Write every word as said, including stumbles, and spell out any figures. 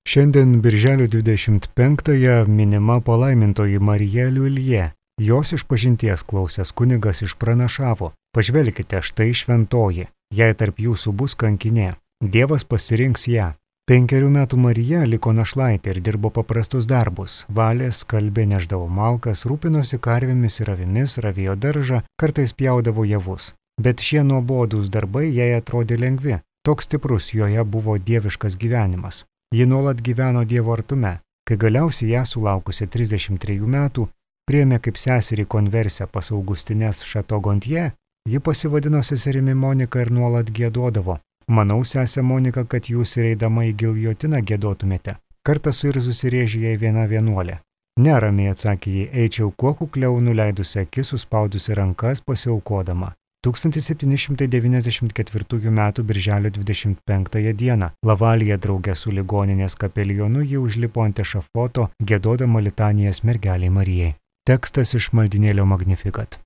Šiandien birželio dvidešimt penktąją minima palaimintoji Marija Liuljė. Jos išpažinties klausęs kunigas išpranašavo: pažvelkite, štai šventoji, jei tarp jūsų bus kankinė, Dievas pasirinks ją. Penkerių metų Marija liko našlaitė ir dirbo paprastus darbus. Valė, skalbė, neždavo malkas, rūpinosi karvėmis ir avimis, ravėjo daržą, kartais pjaudavo javus. Bet šie nuobodūs darbai jai atrodė lengvi. Toks stiprus joje buvo dieviškas gyvenimas. Ji nuolat gyveno Dievo artume. Kai galiausiai ją sulaukusi trisdešimt trejų metų priėmė kaip seserį konversiją pas Augustines Šatogontie, ji pasivadino seserimi Monika ir nuolat giedodavo: manau, sesė Monika, kad jūs ir eidama į giljotiną giedotumėte. Kartą suirzusi rėžė jai viena vienuolė. Neramiai atsakė jai, eičiau kuo kukliau, nuleidusi akis, suspaudusi rankas, pasiaukodama. tūkstantis septyni šimtai devyniasdešimt ketvirtųjų metų birželio dvidešimt penktąją dieną Lavalėje drauge su ligoninės kapelionu ji užlipo ant ešafoto, giedodama litanijas mergelei Marijai. Tekstas iš maldynėlio Magnificat.